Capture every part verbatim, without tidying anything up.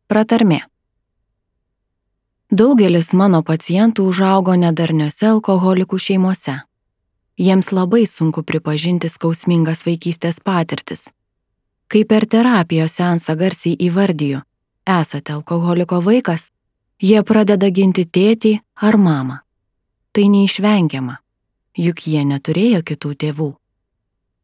Pratarmė. Daugelis mano pacientų užaugo nedarniuose alkoholikų šeimose. Jiems labai sunku pripažinti skausmingas vaikystės patirtis. Kai per terapijos seansą garsiai įvardiju, esate alkoholiko vaikas, jie pradeda ginti tėtį ar mamą. Tai neišvengiama, juk jie neturėjo kitų tėvų.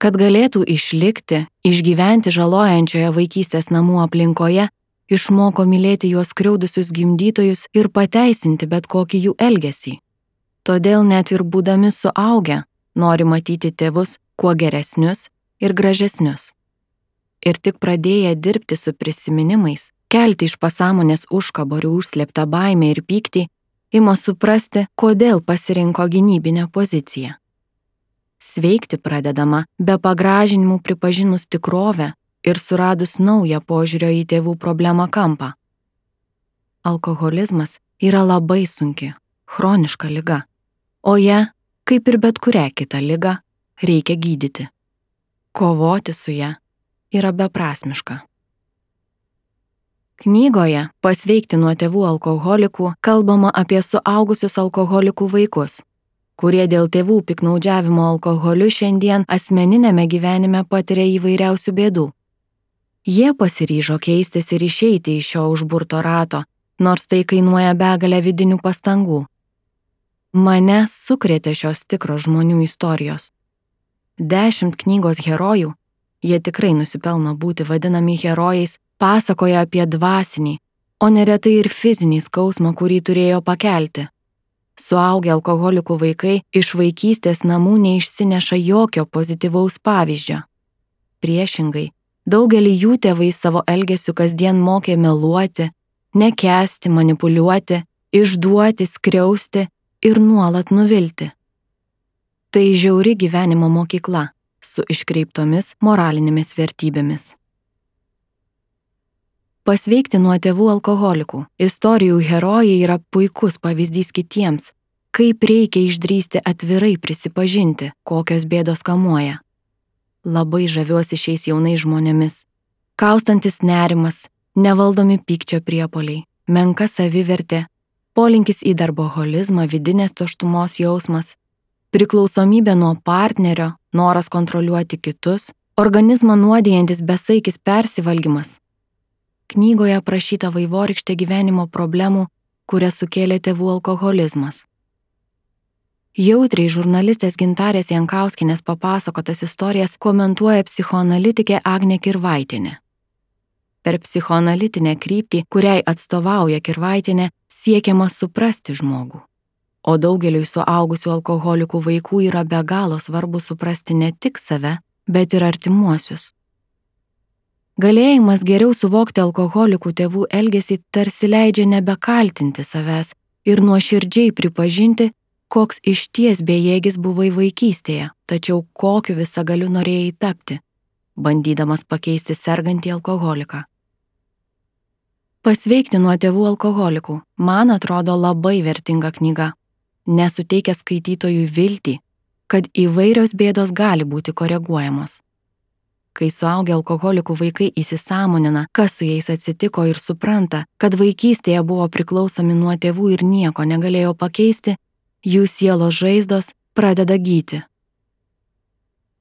Kad galėtų išlikti, išgyventi žalojančioje vaikystės namų aplinkoje, išmoko mylėti juos skriaudusius gimdytojus ir pateisinti bet kokį jų elgesį. Todėl net ir būdami suaugę, nori matyti tėvus kuo geresnius ir gražesnius. Ir tik pradėję dirbti su prisiminimais, kelti iš pasąmonės užkaborių užslėptą baimę ir pyktį, ima suprasti, kodėl pasirinko gynybinę poziciją. Sveikti pradedama be pagražinimų pripažinus tikrovę ir suradus naują požiūrio į tėvų problemą kampą. Alkoholizmas yra labai sunki, chroniška liga, o ją, kaip ir bet kurią kitą ligą, reikia gydyti. Kovoti su ją yra beprasmiška. Knygoje Pasveikti nuo tėvų alkoholikų kalbama apie suaugusius alkoholikų vaikus, kurie dėl tėvų piknaudžiavimo alkoholiu šiandien asmeninėme gyvenime patiria įvairiausių bėdų. Jie pasiryžo keistis ir išeiti iš šio užburto rato, nors tai kainuoja begalę vidinių pastangų. Mane sukrėtė šios tikros žmonių istorijos. Dešimt knygos herojų, jie tikrai nusipelno būti vadinami herojais, pasakoja apie dvasinį, o neretai ir fizinį skausmą, kurį turėjo pakelti. Suaugę alkoholikų vaikai iš vaikystės namų neišsineša jokio pozityvaus pavyzdžio. Priešingai, daugelį jų tėvai savo elgesiu kasdien mokė meluoti, nekęsti, manipuliuoti, išduoti, skriausti ir nuolat nuvilti. Tai žiauri gyvenimo mokykla su iškreiptomis moralinėmis vertybėmis. Pasveikti nuo tėvų alkoholikų istorijų herojai yra puikus pavyzdys kitiems, kaip reikia išdrįsti atvirai prisipažinti, kokios bėdos kamuoja. Labai žaviuosi šiais jaunais žmonėmis. Kaustantis nerimas, nevaldomi pykčio priepuoliai, menka savivertė, polinkis į darboholizmą, vidinės tuštumos jausmas, priklausomybė nuo partnerio, noras kontroliuoti kitus, organizmą nuodijantis besaikis persivalgymas. Knygoje aprašyta vaivorykštė gyvenimo problemų, kurias sukėlė tėvų alkoholizmas. Jautriai žurnalistės Gintarės Jankauskienės papasakotas istorijas komentuoja psichoanalitikė Agnė Kirvaitienė. Per psichoanalitinę kryptį, kuriai atstovauja Kirvaitienė, siekiama suprasti žmogų. O daugeliui suaugusių alkoholikų vaikų yra be galo svarbu suprasti ne tik save, bet ir artimuosius. Galėjimas geriau suvokti alkoholikų tėvų elgesį tarsi leidžia nebekaltinti savęs ir nuoširdžiai pripažinti, koks išties bejėgis buvai vaikystėje, tačiau kokiu visagaliu norėjai tapti, bandydamas pakeisti sergantį alkoholiką. Pasveikti nuo tėvų alkoholikų, man atrodo labai vertinga knyga, nesuteikia skaitytojui viltį, kad įvairios bėdos gali būti koreguojamos. Kai suaugę alkoholikų vaikai įsisąmonina, kas su jais atsitiko ir supranta, kad vaikystėje buvo priklausomi nuo tėvų ir nieko negalėjo pakeisti, jų sielos žaizdos pradeda gyti.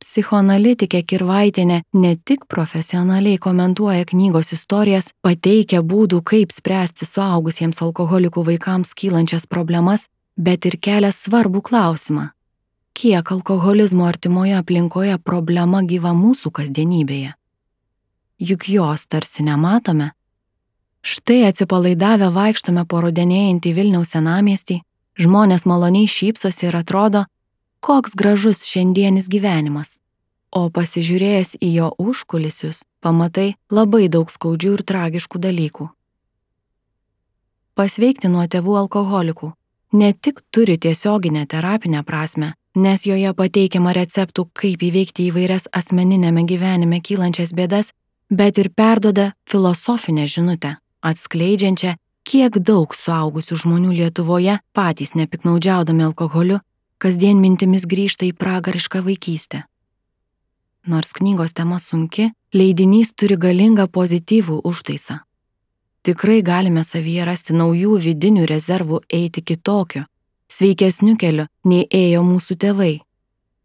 Psichoanalitikė Kirvaitienė ne tik profesionaliai komentuoja knygos istorijas, pateikia būdų, kaip spręsti suaugusiems alkoholikų vaikams kylančias problemas, bet ir kelia svarbų klausimą. Kiek alkoholizmo artimoje aplinkoje problema gyva mūsų kasdienybėje? Juk jos tarsi nematome. Štai atsipalaidavę vaikštome po rudenėjantį Vilniaus senamiestį, žmonės maloniai šypsosi ir atrodo, koks gražus šiandienis gyvenimas. O pasižiūrėjęs į jo užkulisius, pamatai labai daug skaudžių ir tragiškų dalykų. Pasveikti nuo tėvų alkoholikų ne tik turi tiesioginę terapinę prasmę, nes joje pateikiama receptų, kaip įveikti įvairias asmeninėme gyvenime kylančias bėdas, bet ir perduoda filosofinę žinutę, atskleidžiančią, kiek daug suaugusių žmonių Lietuvoje, patys nepiknaudžiaudami alkoholiu, kasdien mintimis grįžta į pragarišką vaikystę. Nors knygos tema sunki, leidinys turi galingą pozityvų užtaisą. Tikrai galime savyje rasti naujų vidinių rezervų eiti kitokiu, sveikesniu keliu, nei ėjo mūsų tėvai.